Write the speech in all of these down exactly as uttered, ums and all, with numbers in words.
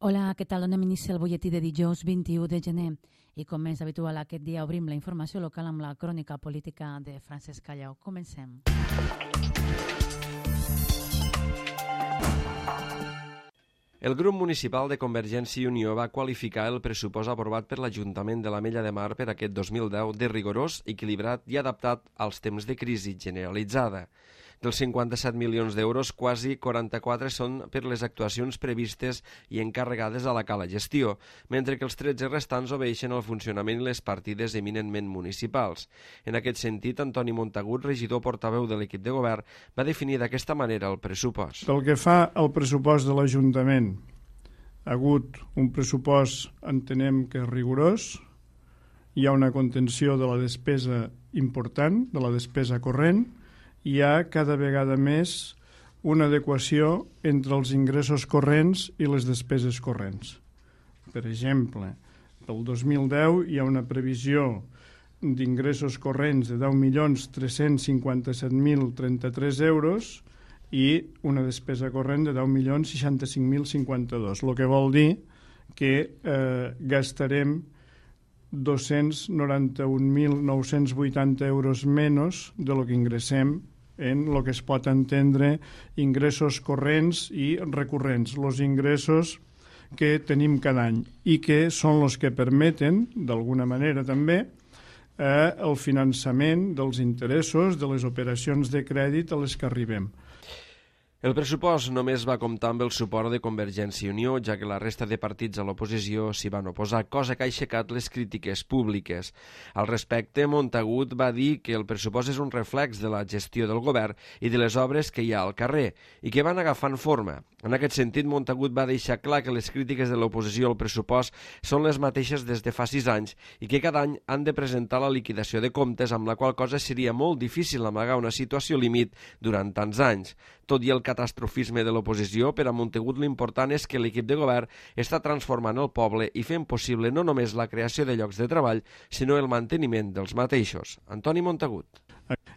Hola, què tal? Donem inici al butlletí de dijous vint-i-u de gener i com és habitual aquest dia obrim la informació local amb la crònica política de Francesc Callau. Comencem. El grup municipal de Convergència i Unió va qualificar el pressupost aprovat per l'Ajuntament de l'Ametlla de Mar per aquest dos mil deu de rigorós, equilibrat i adaptat als temps de crisi generalitzada. Dels cinquanta-set milions d'euros, quasi quaranta-quatre són per les actuacions previstes i encarregades a la cala gestió, mentre que els tretze restants obeeixen al funcionament i les partides eminentment municipals. En aquest sentit, Antoni Montagut, regidor portaveu de l'equip de govern, va definir d'aquesta manera el pressupost. Pel que fa al pressupost de l'Ajuntament, ha hagut un pressupost, entenem que és rigorós, hi ha una contenció de la despesa important, de la despesa corrent, hi ha cada vegada més una adequació entre els ingressos corrents i les despeses corrents. Per exemple, pel dos mil deu hi ha una previsió d'ingressos corrents de deu milions tres-cents cinquanta-set mil trenta-tres euros i una despesa corrent de deu milions seixanta-cinc mil cinquanta-dos, el que vol dir que eh, gastarem dos-cents noranta-un mil nou-cents vuitanta euros menys de lo que ingressem en el que es pot entendre ingressos corrents i recurrents, els ingressos que tenim cada any i que són els que permeten, d'alguna manera també, eh, el finançament dels interessos de les operacions de crèdit a les que arribem. El pressupost només va comptar amb el suport de Convergència i Unió, ja que la resta de partits a l'oposició s'hi van oposar, cosa que ha aixecat les crítiques públiques. Al respecte, Montagut va dir que el pressupost és un reflex de la gestió del govern i de les obres que hi ha al carrer, i que van agafant forma. En aquest sentit, Montagut va deixar clar que les crítiques de l'oposició al pressupost són les mateixes des de fa sis anys i que cada any han de presentar la liquidació de comptes, amb la qual cosa seria molt difícil amagar una situació límit durant tants anys. Tot i el catastrofisme de l'oposició, per a Montagut l'important és que l'equip de govern està transformant el poble i fent possible no només la creació de llocs de treball, sinó el manteniment dels mateixos. Antoni Montagut.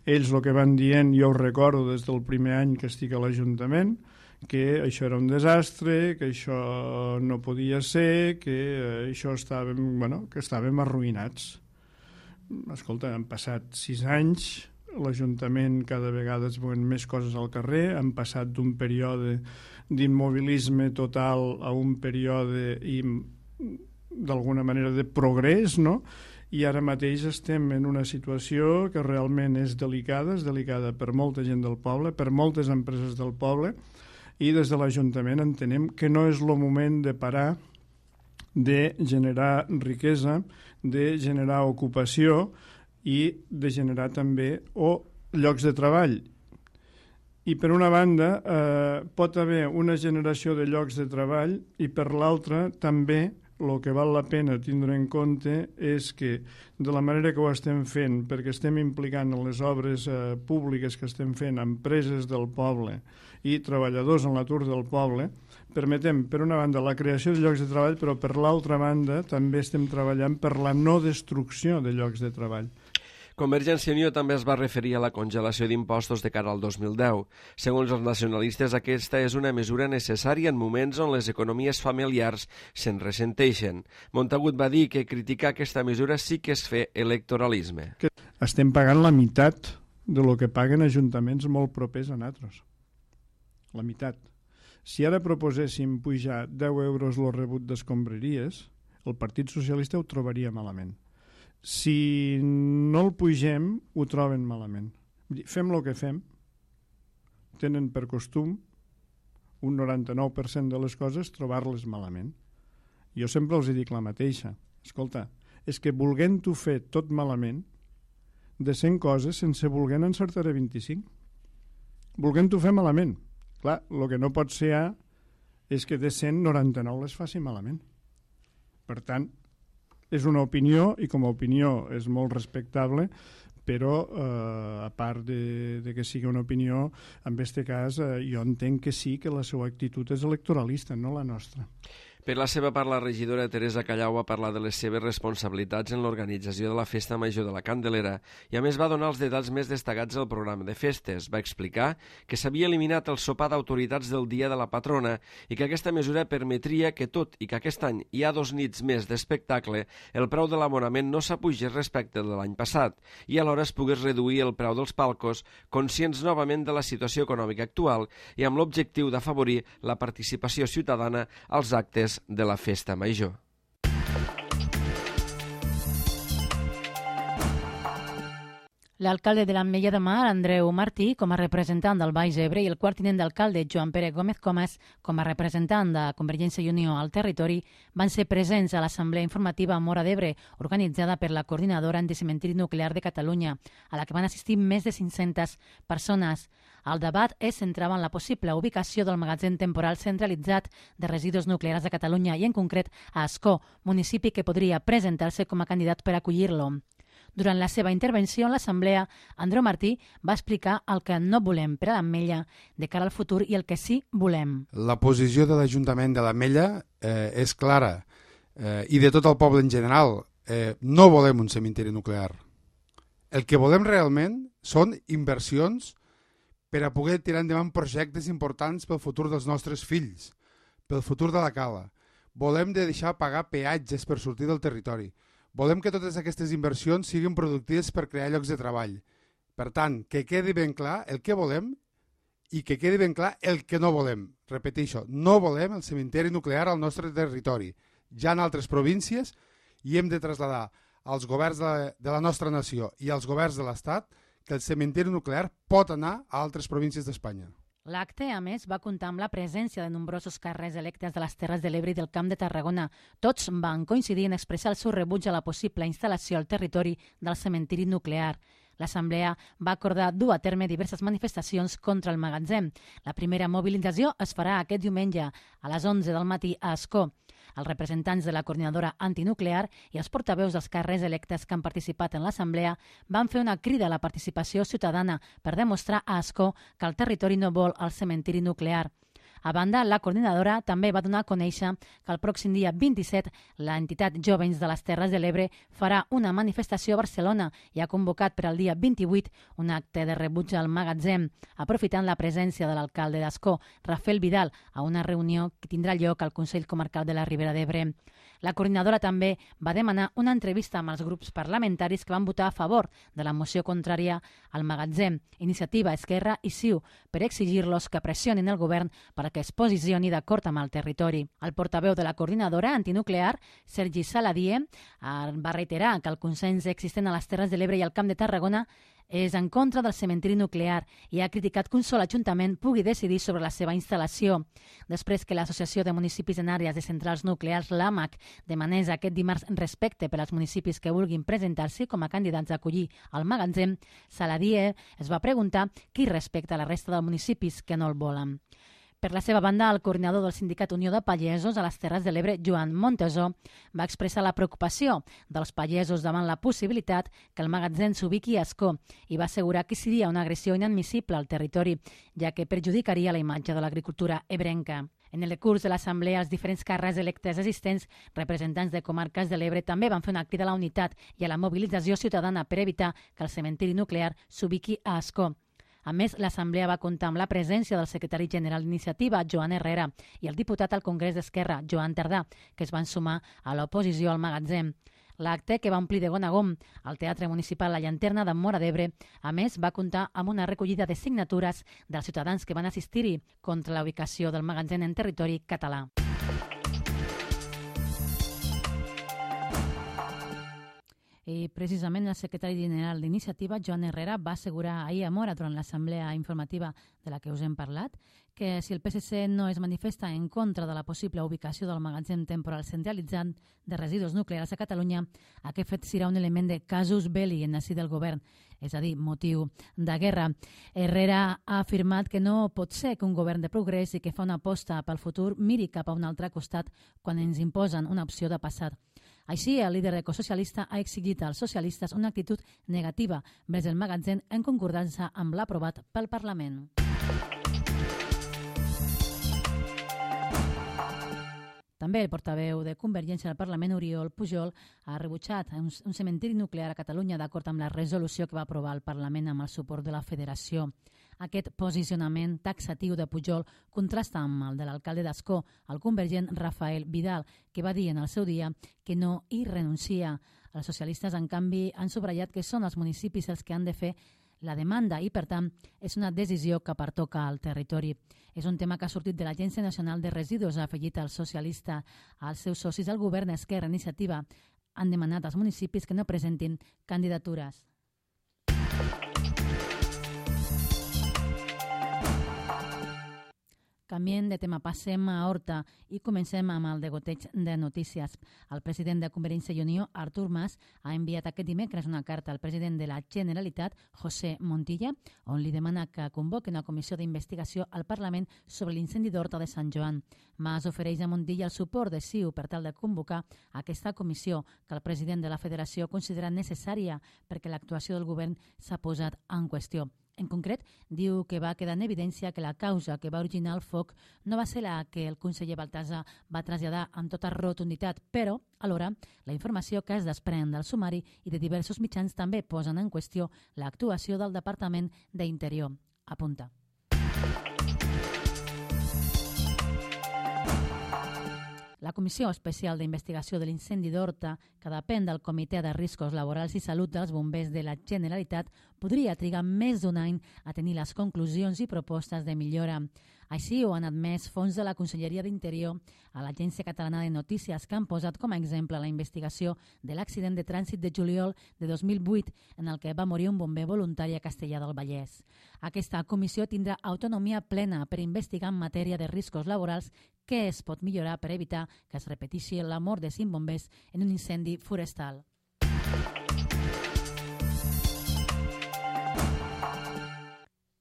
Ells el que van dient, jo ho recordo des del primer any que estic a l'Ajuntament, que això era un desastre, que això no podia ser, que això estàvem, bueno, que estàvem arruïnats. Escolta, han passat sis anys, l'Ajuntament cada vegada es veuen més coses al carrer, han passat d'un període d'immobilisme total a un període d'alguna manera de progrés, no? I ara mateix estem en una situació que realment és delicada, és delicada per molta gent del poble, per moltes empreses del poble, i des de l'Ajuntament entenem que no és el moment de parar de generar riquesa, de generar ocupació i de generar també o llocs de treball. I per una banda eh, pot haver una generació de llocs de treball i per l'altra també el que val la pena tindre en compte és que de la manera que ho estem fent, perquè estem implicant en les obres eh, públiques que estem fent empreses del poble i treballadors en l'atur del poble, permetem, per una banda, la creació de llocs de treball, però per l'altra banda també estem treballant per la no destrucció de llocs de treball. Convergència i Unió també es va referir a la congelació d'impostos de cara al dos mil deu. Segons els nacionalistes, aquesta és una mesura necessària en moments on les economies familiars se'n ressenteixen. Montagut va dir que criticar aquesta mesura sí que és fer electoralisme. Estem pagant la meitat de lo que paguen ajuntaments molt propers a nosaltres. La meitat. Si ara proposéssim pujar deu euros el rebut d'escombraries, el Partit Socialista ho trobaria malament. Si no el pugem, ho troben malament. Fem el que fem. Tenen per costum un noranta-nou per cent de les coses trobar-les malament. Jo sempre els dic la mateixa. Escolta, és que volent-ho fer tot malament, de cent coses, sense volent encertaré vint-i-cinc. Volent-ho fer malament. Clar, el que no pot ser és que de cent noranta-nou les faci malament. Per tant, és una opinió i com a opinió és molt respectable, però eh, a part de, de que sigui una opinió, en aquest cas eh, jo entenc que sí que la seva actitud és electoralista, no la nostra. Per la seva part, la regidora Teresa Callau va parlar de les seves responsabilitats en l'organització de la Festa Major de la Candelera i a més va donar els detalls més destacats del programa de festes. Va explicar que s'havia eliminat el sopar d'autoritats del dia de la patrona i que aquesta mesura permetria que, tot i que aquest any hi ha dos nits més d'espectacle, el preu de l'abonament no s'apugés respecte de l'any passat i alhora es pogués reduir el preu dels palcos, conscients novament de la situació econòmica actual i amb l'objectiu d'afavorir la participació ciutadana als actes de la Festa Major. L'alcalde de l'Ametlla de Mar, Andreu Martí, com a representant del Baix Ebre, i el quart tinent d'alcalde, Joan Pere Gómez Comas, com a representant de Convergència i Unió al territori, van ser presents a l'Assemblea Informativa Móra d'Ebre, organitzada per la Coordinadora Anticementiri Nuclear de Catalunya, a la que van assistir més de cinc-centes persones. El debat es centrava en la possible ubicació del magatzem temporal centralitzat de residus nuclears de Catalunya i, en concret, a Ascó, municipi que podria presentar-se com a candidat per acollir-lo. Durant la seva intervenció en l'Assemblea, Andreu Martí va explicar el que no volem per a l'Ametlla de cara al futur i el que sí volem. La posició de l'Ajuntament de l'Ametlla eh, és clara eh, i de tot el poble en general. Eh, no volem un cementiri nuclear. El que volem realment són inversions per a poder tirar endavant projectes importants pel futur dels nostres fills, pel futur de la cala. Volem de deixar pagar peatges per sortir del territori. Volem que totes aquestes inversions siguin productives per crear llocs de treball. Per tant, que quedi ben clar el que volem i que quedi ben clar el que no volem. Repeteixo, no volem el cementiri nuclear al nostre territori. Ja en altres províncies i hem de traslladar als governs de la, de la nostra nació i als governs de l'Estat que el cementiri nuclear pot anar a altres províncies d'Espanya. L'acte, a més, va comptar amb la presència de nombrosos càrrecs electes de les Terres de l'Ebre i del Camp de Tarragona. Tots van coincidir en expressar el seu rebuig a la possible instal·lació al territori del cementiri nuclear. L'Assemblea va acordar dur a terme diverses manifestacions contra el magatzem. La primera mobilització es farà aquest diumenge a les onze del matí a Ascó. Els representants de la coordinadora antinuclear i els portaveus dels càrrecs electes que han participat en l'Assemblea van fer una crida a la participació ciutadana per demostrar a Ascó que el territori no vol el cementiri nuclear. A banda, la coordinadora també va donar a conèixer que el pròxim dia vint-i-set l'entitat Jóvens de les Terres de l'Ebre farà una manifestació a Barcelona i ha convocat per al dia vint-i-vuit un acte de rebuig al magatzem, aprofitant la presència de l'alcalde d'Ascó, Rafael Vidal, a una reunió que tindrà lloc al Consell Comarcal de la Ribera d'Ebre. La coordinadora també va demanar una entrevista amb els grups parlamentaris que van votar a favor de la moció contrària al magatzem, Iniciativa, Esquerra i C I U, per exigir-los que pressionin el govern per que es posicioni d'acord amb el territori. El portaveu de la coordinadora antinuclear, Sergi Saladié, va reiterar que el consens existent a les Terres de l'Ebre i al Camp de Tarragona és en contra del cementiri nuclear i ha criticat que un sol ajuntament pugui decidir sobre la seva instal·lació. Després que l'Associació de Municipis en Àrees de Centrals Nuclears, l'AMAC, demanés aquest dimarts respecte per als municipis que vulguin presentar-se com a candidats a acollir al magatzem, Saladié es va preguntar qui respecta la resta dels municipis que no el volen. Per la seva banda, el coordinador del Sindicat Unió de Pagesos a les Terres de l'Ebre, Joan Montesó, va expressar la preocupació dels pagesos davant la possibilitat que el magatzem s'ubiqui a Ascó i va assegurar que seria una agressió inadmissible al territori, ja que perjudicaria la imatge de l'agricultura ebrenca. En el curs de l'Assemblea, els diferents càrrecs electes existents, representants de comarques de l'Ebre, també van fer una crida a la unitat i a la mobilització ciutadana per evitar que el cementiri nuclear s'ubiqui a Ascó. A més, l'Assemblea va comptar amb la presència del secretari general d'Iniciativa, Joan Herrera, i el diputat al Congrés d'Esquerra, Joan Tardà, que es van sumar a l'oposició al magatzem. L'acte, que va omplir de gom a gom al Teatre Municipal La Llanterna de Móra d'Ebre, a més, va comptar amb una recollida de signatures dels ciutadans que van assistir-hi contra la ubicació del magatzem en territori català. I precisament el secretari general d'Iniciativa, Joan Herrera, va assegurar ahir a Móra, durant l'assemblea informativa de la que us hem parlat, que si el P S C no es manifesta en contra de la possible ubicació del magatzem temporal centralitzat de residus nuclears a Catalunya, aquest fet serà un element de casus belli en el si del govern, és a dir, motiu de guerra. Herrera ha afirmat que no pot ser que un govern de progrés i que fa una aposta pel futur miri cap a un altre costat quan ens imposen una opció de passat. Així, el líder ecosocialista ha exigit als socialistes una actitud negativa vers el magatzem en concordança amb l'aprovat pel Parlament. També el portaveu de Convergència al Parlament, Oriol Pujol, ha rebutjat un, un cementiri nuclear a Catalunya d'acord amb la resolució que va aprovar el Parlament amb el suport de la Federació. Aquest posicionament taxatiu de Pujol contrasta amb el de l'alcalde d'Ascó, el convergent Rafael Vidal, que va dir en el seu dia que no hi renuncia. Els socialistes, en canvi, han subratllat que són els municipis els que han de fer la demanda i, per tant, és una decisió que pertoca al territori. És un tema que ha sortit de l'Agència Nacional de Residus, ha afegit el socialista. Els seus socis al govern, Esquerra Iniciativa, han demanat als municipis que no presentin candidatures. Canviem de tema, passem a Horta i comencem amb el degoteig de notícies. El president de Convergència i Unió, Artur Mas, ha enviat aquest dimecres una carta al president de la Generalitat, José Montilla, on li demana que convoqui una comissió d'investigació al Parlament sobre l'incendi d'Horta de Sant Joan. Mas ofereix a Montilla el suport de C I U per tal de convocar aquesta comissió que el president de la Federació considera necessària perquè l'actuació del govern s'ha posat en qüestió. En concret, diu que va quedar en evidència que la causa que va originar el foc no va ser la que el conseller Baltasar va traslladar amb tota rotunditat, però, alhora, la informació que es desprèn del sumari i de diversos mitjans també posen en qüestió l'actuació del Departament d'Interior. Apunta. La Comissió Especial d'Investigació de l'Incendi d'Horta, que depèn del Comitè de Riscos Laborals i Salut dels Bombers de la Generalitat, podria trigar més d'un any a tenir les conclusions i propostes de millora. Així ho han admès fons de la Conselleria d'Interior a l'Agència Catalana de Notícies, que han posat com a exemple la investigació de l'accident de trànsit de juliol de dos mil vuit, en el que va morir un bomber voluntari a Castellar del Vallès. Aquesta comissió tindrà autonomia plena per investigar en matèria de riscos laborals què es pot millorar per evitar que es repeteixi la mort de cinc bombers en un incendi forestal.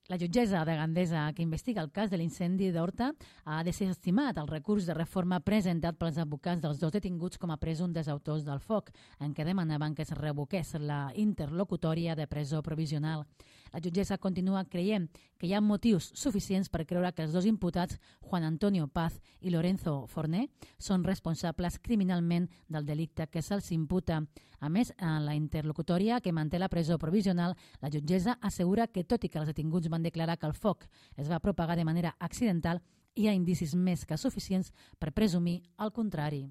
La jutgessa de Gandesa, que investiga el cas de l'incendi d'Horta, ha desestimat el recurs de reforma presentat pels advocats dels dos detinguts com a presumptes autors del foc, en què demanaven que es revoqués la interlocutòria de presó provisional. La jutgessa continua creient que hi ha motius suficients per creure que els dos imputats, Juan Antonio Paz i Lorenzo Forné, són responsables criminalment del delicte que se'ls imputa. A més, en la interlocutòria que manté la presó provisional, la jutgessa assegura que, tot i que els detinguts van declarar que el foc es va propagar de manera accidental, hi ha indicis més que suficients per presumir el contrari.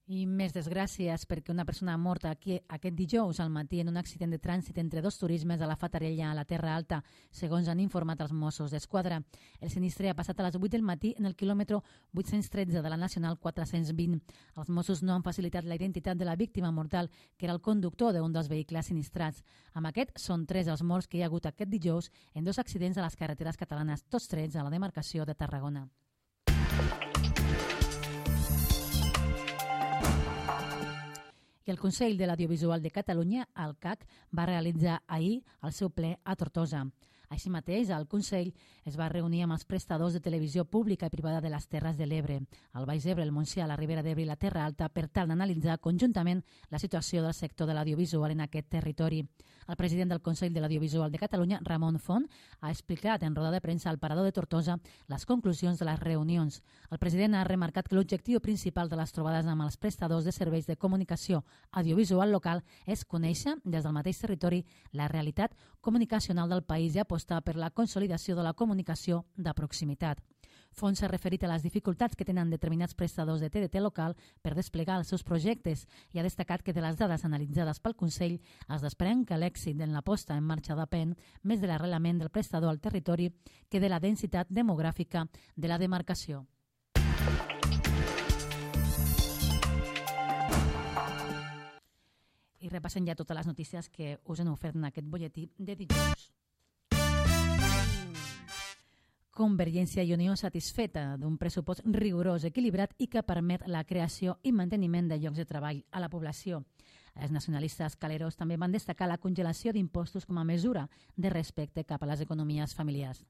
I més desgràcies perquè una persona ha mort aquí aquest dijous al matí en un accident de trànsit entre dos turismes a la Fatarella, a la Terra Alta, segons han informat els Mossos d'Esquadra. El sinistre ha passat a les vuit del matí en el quilòmetre vuit-cents tretze de la Nacional quatre-cents vint. Els Mossos no han facilitat la identitat de la víctima mortal, que era el conductor d'un dels vehicles sinistrats. Amb aquest, són tres els morts que hi ha hagut aquest dijous en dos accidents a les carreteres catalanes, tots tres a la demarcació de Tarragona. I el Consell de l'Audiovisual de Catalunya, el C A C, va realitzar ahir el seu ple a Tortosa. Així mateix, el Consell es va reunir amb els prestadors de televisió pública i privada de les Terres de l'Ebre, el Baix Ebre, el Montsià, la Ribera d'Ebre i la Terra Alta, per tal d'analitzar conjuntament la situació del sector de l'audiovisual en aquest territori. El president del Consell de l'Audiovisual de Catalunya, Ramon Font, ha explicat en roda de premsa al Parador de Tortosa les conclusions de les reunions. El president ha remarcat que l'objectiu principal de les trobades amb els prestadors de serveis de comunicació audiovisual local és conèixer des del mateix territori la realitat comunicacional del país i apostar per la consolidació de la comunicació de proximitat. Font s'ha referit a les dificultats que tenen determinats prestadors de T D T local per desplegar els seus projectes i ha destacat que de les dades analitzades pel Consell es desprèn que l'èxit en la posta en marxa depèn més de l'arrelament del prestador al territori que de la densitat demogràfica de la demarcació. I repassem ja totes les notícies que us han ofert en aquest butlletí de dijous. Convergència i Unió satisfeta d'un pressupost rigorós, equilibrat i que permet la creació i manteniment de llocs de treball a la població. Els nacionalistes caleros també van destacar la congelació d'impostos com a mesura de respecte cap a les economies familiars.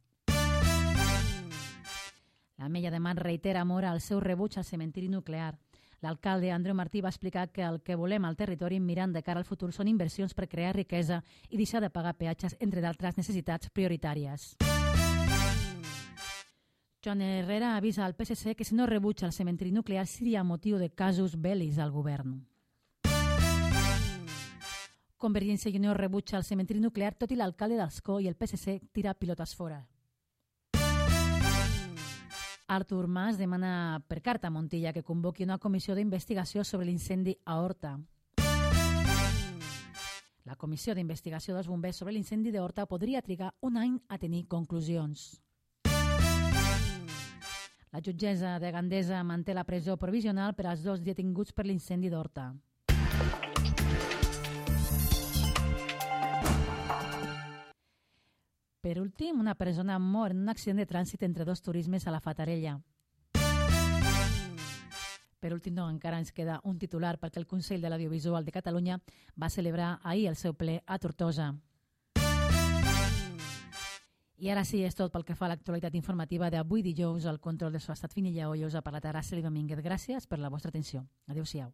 L'Ametlla de Mar reitera a Mora el seu rebuig al cementiri nuclear. L'alcalde Andreu Martí va explicar que el que volem al territori mirant de cara al futur són inversions per crear riquesa i deixar de pagar peatges, entre d'altres necessitats prioritàries. Joan Herrera avisa al P S C que si no rebutja el cementiri nuclear seria motiu de casus bellis al govern. Convergència i Unió rebutja el cementiri nuclear tot i l'alcalde d'Ascó i el P S C tira pilotes fora. Artur Mas demana per carta a Montilla que convoqui una comissió d'investigació sobre l'incendi a Horta. La comissió d'investigació dels bombers sobre l'incendi de Horta podria trigar un any a tenir conclusions. La jutgessa de Gandesa manté la presó provisional per als dos detinguts per l'incendi d'Horta. Per últim, una persona mor en un accident de trànsit entre dos turismes a la Fatarella. Per últim, no, encara ens queda un titular perquè el Consell de l'Audiovisual de Catalunya va celebrar ahir el seu ple a Tortosa. I ara sí, és tot pel que fa a l'actualitat informativa d'avui dijous. El control de l'estat Finilla Hoyos ha parlat ara Celi Domínguez. Gràcies per la vostra atenció. Adéu-siau.